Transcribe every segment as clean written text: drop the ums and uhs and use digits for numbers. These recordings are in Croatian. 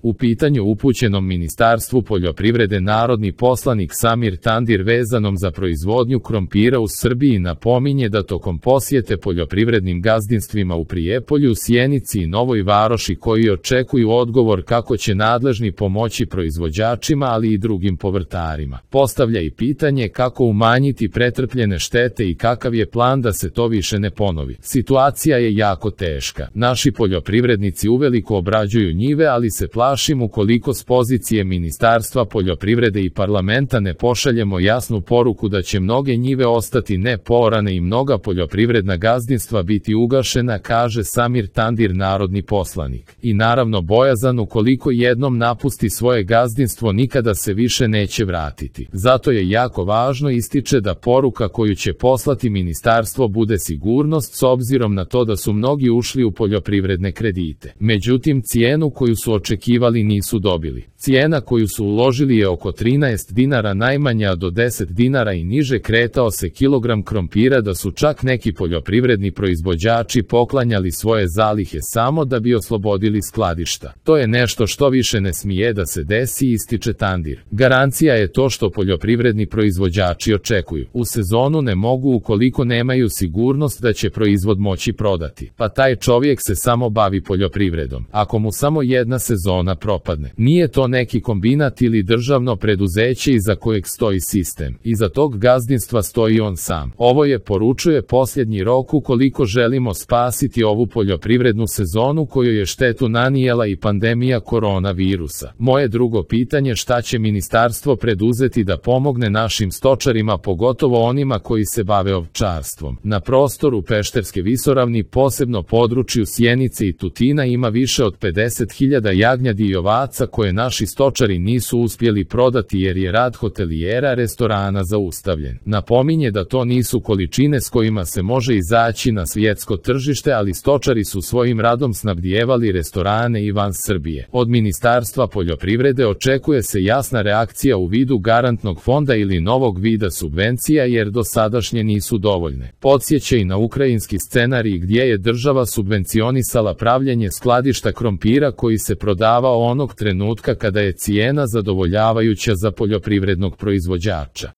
U pitanju upućenom Ministarstvu poljoprivrede narodni poslanik Samir Tandir vezanom za proizvodnju krompira u Srbiji napominje da tokom posjete poljoprivrednim gazdinstvima u Prijepolju, Sjenici i Novoj Varoši koji očekuju odgovor kako će nadležni pomoći proizvođačima ali i drugim povrtarima. Postavlja i pitanje kako umanjiti pretrpljene štete i kakav je plan da se to više ne ponovi. Situacija je jako teška. Naši poljoprivrednici uveliko obrađuju njive, ali se plašim ukoliko s pozicije Ministarstva poljoprivrede i parlamenta ne pošaljemo jasnu poruku da će mnoge njive ostati nepoorane i mnoga poljoprivredna gazdinstva biti ugašena, kaže Samir Tandir narodni poslanik. I naravno bojazan ukoliko jednom napusti svoje gazdinstvo nikada se više neće vratiti. Zato je jako važno, ističe, da poruka koju će poslati ministarstvo bude sigurnost s obzirom na to da su mnogi ušli u poljoprivredne kredite. Međutim, cijenu koju su očekivali nisu dobili. Cijena koju su uložili je oko 13 dinara najmanja, do 10 dinara i niže kretao se kilogram krompira, da su čak neki poljoprivredni proizvođači poklanjali svoje zalihe samo da bi oslobodili skladišta. To je nešto što više ne smije da se desi, ističe Tandir. Garancija je to što poljoprivredni proizvođači očekuju. U sezonu ne mogu ukoliko nemaju sigurnost da će proizvod moći prodati. Pa taj čovjek se samo bavi poljoprivredom. Ako mu samo jedna sezona propadne, nije to neki kombinat ili državno preduzeće iza kojeg stoji sistem. Iza tog gazdinstva stoji on sam. Ovo je, poručuje, posljednji rok ukoliko želimo spasiti ovu poljoprivrednu sezonu koju je štetu nanijela i pandemija koronavirusa. Moje drugo pitanje, šta će ministarstvo preduzeti da pomogne našim stočarima, pogotovo onima koji se bave ovčarstvom? Na prostoru Pešterske visoravni, posebno području Sjenice i Tutina, ima više od 50.000 jagnjadi i ovaca koje naši stočari nisu uspjeli prodati jer je rad hotelijera, restorana zaustavljen. Napominje da to nisu količine s kojima se može izaći na svjetsko tržište, ali stočari su svojim radom snabdijevali restorane i van Srbije. Od Ministarstva poljoprivrede očekuje se jasna reakcija u vidu garantnog fonda ili novog vida subvencija jer dosadašnje nisu dovoljne. Podsjeća i na ukrajinski scenarij gdje je država subvencionisala pravljenje skladišta krompira koji se prodavao onog trenutka kada je cijena zadovoljavajuća za poljoprivrednog proizvođača.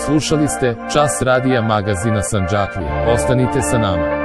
Slušali ste Čas radija magazina Sandžaklija. Ostanite sa nama.